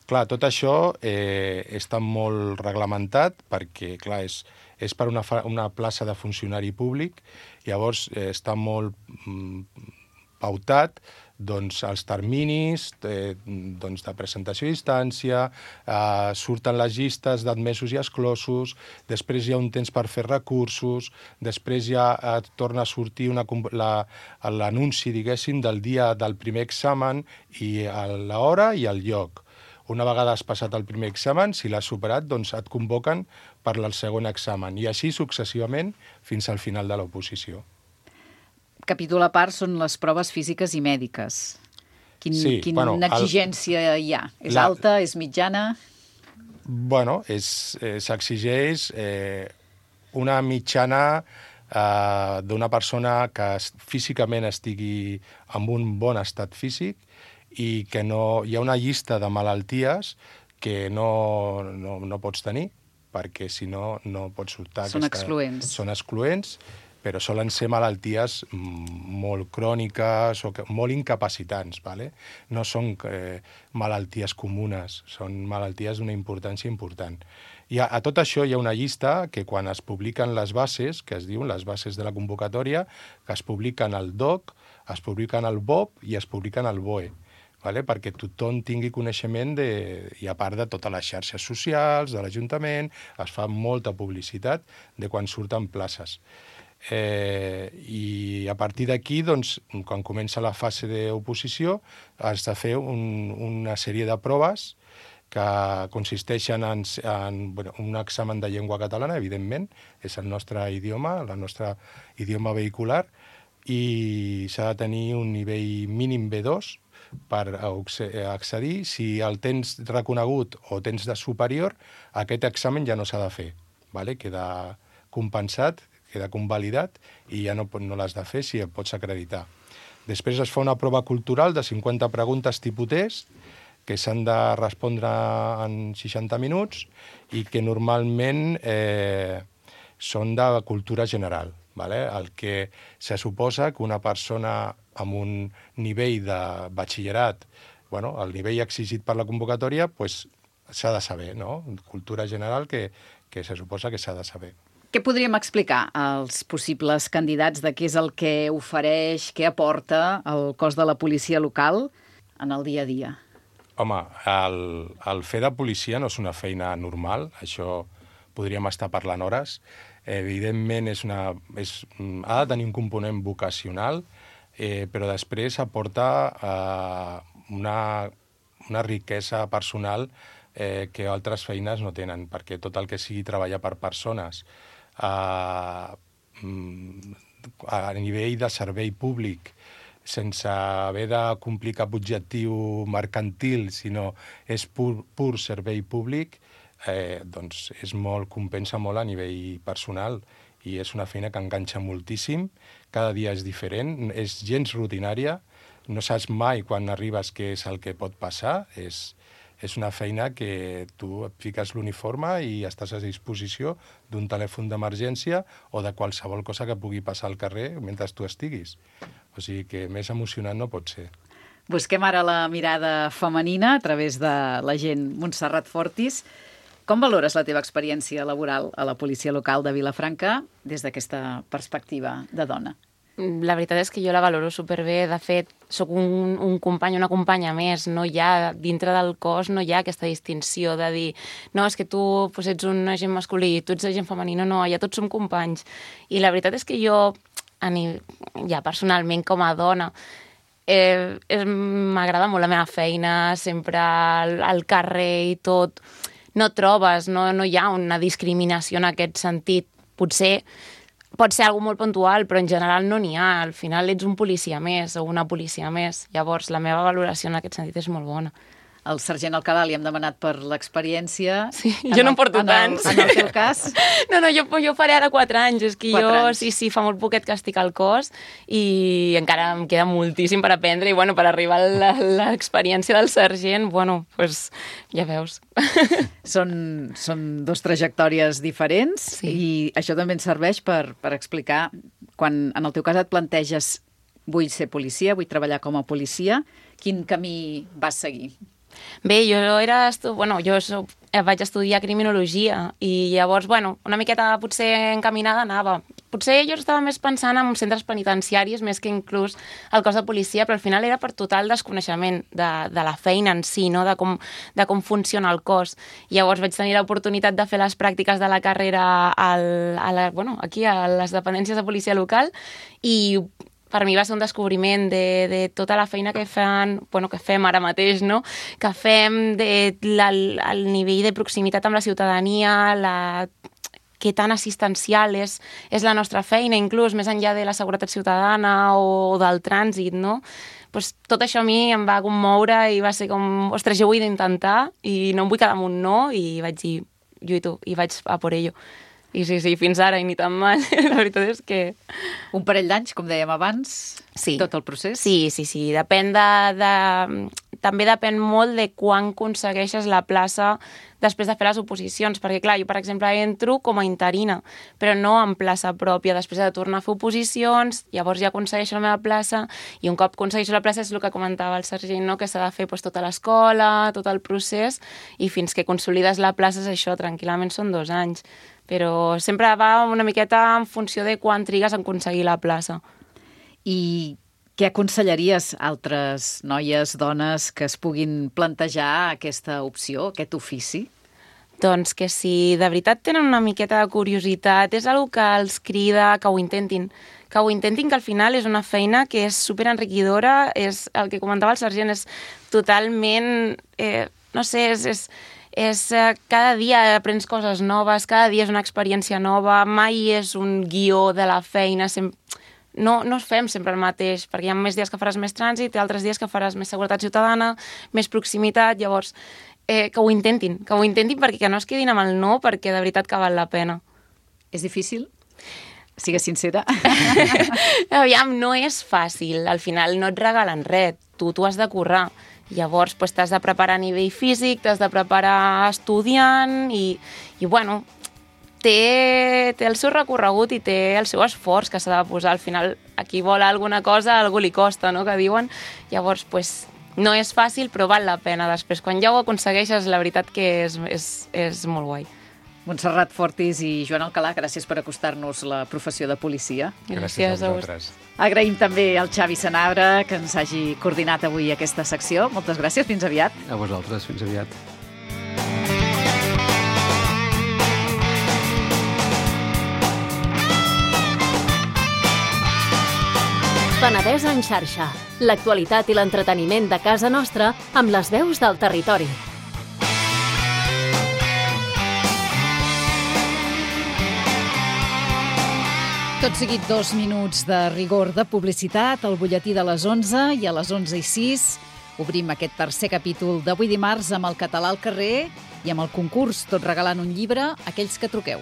M: Clar, tot això està molt reglamentat perquè, clar, és per una plaça de funcionari públic, llavors està molt pautat els terminis de presentació a distància, surten les llistes d'admesos i exclosos, després hi ha un temps per fer recursos, després ja torna a sortir l'anunci, diguéssim, del dia del primer examen i l'hora i el lloc. Una vegada has passat el primer examen, si l'has superat, doncs et convoquen per al segon examen, i així successivament fins al final de l'oposició.
B: Capítol a part són les proves físiques i mèdiques. Quina exigència hi ha? És alta, és mitjana?
M: Bueno, s'exigeix una mitjana d'una persona que físicament estigui en un bon estat físic i que no hi ha una llista de malalties que no pots tenir, perquè si no, no pots optar.
B: Són excloents.
M: Són excloents, però solen ser malalties molt cròniques o molt incapacitants, ¿vale? No són malalties comunes, són malalties d'una importància important. I a tot això hi ha una llista que quan es publiquen les bases, que es diuen les bases de la convocatòria, que es publiquen al DOC, es publiquen al BOP i es publiquen al BOE, ¿vale? Perquè tothom tingui coneixement i a part de totes les xarxes socials, de l'Ajuntament, es fa molta publicitat de quan surten places. I a partir d'aquí, doncs, quan comença la fase d'oposició, has de fer una sèrie de proves que consisteixen en un examen de llengua catalana, evidentment, és el nostre idioma, el nostre idioma vehicular, i s'ha de tenir un nivell mínim B2 per accedir. Si el tens reconegut o tens de superior, aquest examen ja no s'ha de fer, ¿vale? Queda compensat, queda convalidat i ja no l'has de fer si et pots acreditar. Després es fa una prova cultural de 50 preguntes tipus test que s'han de respondre en 60 minuts i que normalment són de cultura general, ¿vale? El que se suposa que una persona amb un nivell de batxillerat, el nivell exigit per la convocatòria, s'ha de saber, no? Cultura general que se suposa que s'ha de saber.
B: Què podríem explicar als possibles candidats de què és el que ofereix, què aporta el cos de la policia local en el dia a dia?
M: Home, el fer de policia no és una feina normal, això podríem estar parlant hores. Evidentment ha de tenir un component vocacional, però després aporta una riquesa personal que altres feines no tenen, perquè tot el que sigui treballar per persones a nivell de servei públic, sense haver de complir cap objectiu mercantil, sinó és pur servei públic, doncs compensa molt a nivell personal i és una feina que enganxa moltíssim, cada dia és diferent, és gens rutinària, no saps mai quan arribes què és el que pot passar, és una feina que tu et fiques l'uniforme i estàs a disposició d'un telèfon d'emergència o de qualsevol cosa que pugui passar al carrer mentre tu estiguis. O sigui que més emocionant no pot ser.
B: Busquem ara la mirada femenina a través de l'agent Montserrat Fortis. Com valores la teva experiència laboral a la policia local de Vilafranca des d'aquesta perspectiva de dona?
N: La veritat és que jo la valoro superbé. De fet, sóc un company, una companya més. No hi ha, dintre del cos, no hi ha aquesta distinció de dir no, és que tu ets un agent masculí, tu ets agent femení, no, ja tots som companys. I la veritat és que jo, ja personalment com a dona, m'agrada molt la meva feina, sempre al carrer i tot. No trobes, no hi ha una discriminació en aquest sentit. Potser pot ser algo molt puntual, però en general no n'hi ha. Al final ets un policia més o una policia més. Llavors, la meva valoració en aquest sentit és molt bona.
B: El sergent Alcalà li hem demanat per l'experiència.
N: Sí, jo no en porto tants.
B: En el teu cas?
N: No, jo faré ara 4 anys. És que sí, fa molt poquet que estic al cos i encara em queda moltíssim per aprendre i, per arribar a l'experiència del sergent, ja veus.
B: Són 2 trajectòries diferents i això també ens serveix per explicar quan en el teu cas et planteges vull ser policia, vull treballar com a policia, quin camí vas seguir?
N: Bé, jo vaig estudiar criminologia i llavors, una miqueta potser encaminada anava. Potser jo estava més pensant en centres penitenciaris més que inclús el cos de policia, però al final era per total desconeixement de la feina en si, no? de com funciona el cos. Llavors vaig tenir l'oportunitat de fer les pràctiques de la carrera aquí a les dependències de policia local i per mi va ser un descobriment de tota la feina que fem ara mateix, no? Que fem el nivell de proximitat amb la ciutadania, que tan assistencial és la nostra feina, inclús més enllà de la seguretat ciutadana o del trànsit, no? Pues tot això a mi em va commoure i va ser com, ostres, jo ho he d'intentar i no em vull quedar amb un no, i vaig dir, lluito, i vaig a por ello. I sí, fins ara, i ni tan mal. La veritat és que...
B: Un parell d'anys, com dèiem abans, tot el procés?
N: Sí. Depèn també depèn molt de quan aconsegueixes la plaça després de fer les oposicions, perquè clar, jo per exemple entro com a interina, però no en plaça pròpia, després de tornar a fer oposicions, llavors ja aconsegueixo la meva plaça, i un cop aconsegueixo la plaça és el que comentava el sergent, no? Que s'ha de fer tota l'escola, tot el procés, i fins que consolides la plaça és això, tranquil·lament són 2 anys, però sempre va una miqueta en funció de quan trigues a aconseguir la plaça.
B: I què aconsellaries a altres noies, dones, que es puguin plantejar aquesta opció, aquest ofici?
N: Doncs que si de veritat tenen una miqueta de curiositat, és una que els crida que ho intentin, que al final és una feina que és superenriquidora, és el que comentava el sergent, és totalment, no sé, és cada dia aprens coses noves, cada dia és una experiència nova, mai és un guió de la feina, no fem sempre el mateix, perquè hi ha més dies que faràs més trànsit i altres dies que faràs més seguretat ciutadana, més proximitat, llavors que ho intentin perquè que no es quedin amb el no, perquè de veritat que val la pena.
B: És difícil? Sigues sincera.
N: Aviam, no és fàcil, al final no et regalen res, tu has de currar. Llavors t'has de preparar a nivell físic, t'has de preparar estudiant i bueno, té el seu recorregut i té el seu esforç que s'ha de posar. Al final, a qui vol alguna cosa, a algú li costa, no?, que diuen. Llavors, no és fàcil, però val la pena. Després, quan ja ho aconsegueixes, la veritat que és molt guai.
B: Montserrat Fortis i Joan Alcalà, gràcies per acostar-nos la professió de policia.
N: Gràcies a vosaltres.
B: Agraïm també al Xavi Sanabra que ens hagi coordinat avui aquesta secció. Moltes gràcies, fins aviat.
L: A vosaltres, fins aviat.
K: Penedès en xarxa. L'actualitat i l'entreteniment de casa nostra amb les veus del territori.
B: Tot seguit 2 minuts de rigor de publicitat, el butlletí de les 11 i a les 11:06 obrim aquest tercer capítol d'avui dimarts amb el català al carrer i amb el concurs Tot regalant un llibre, aquells que truqueu.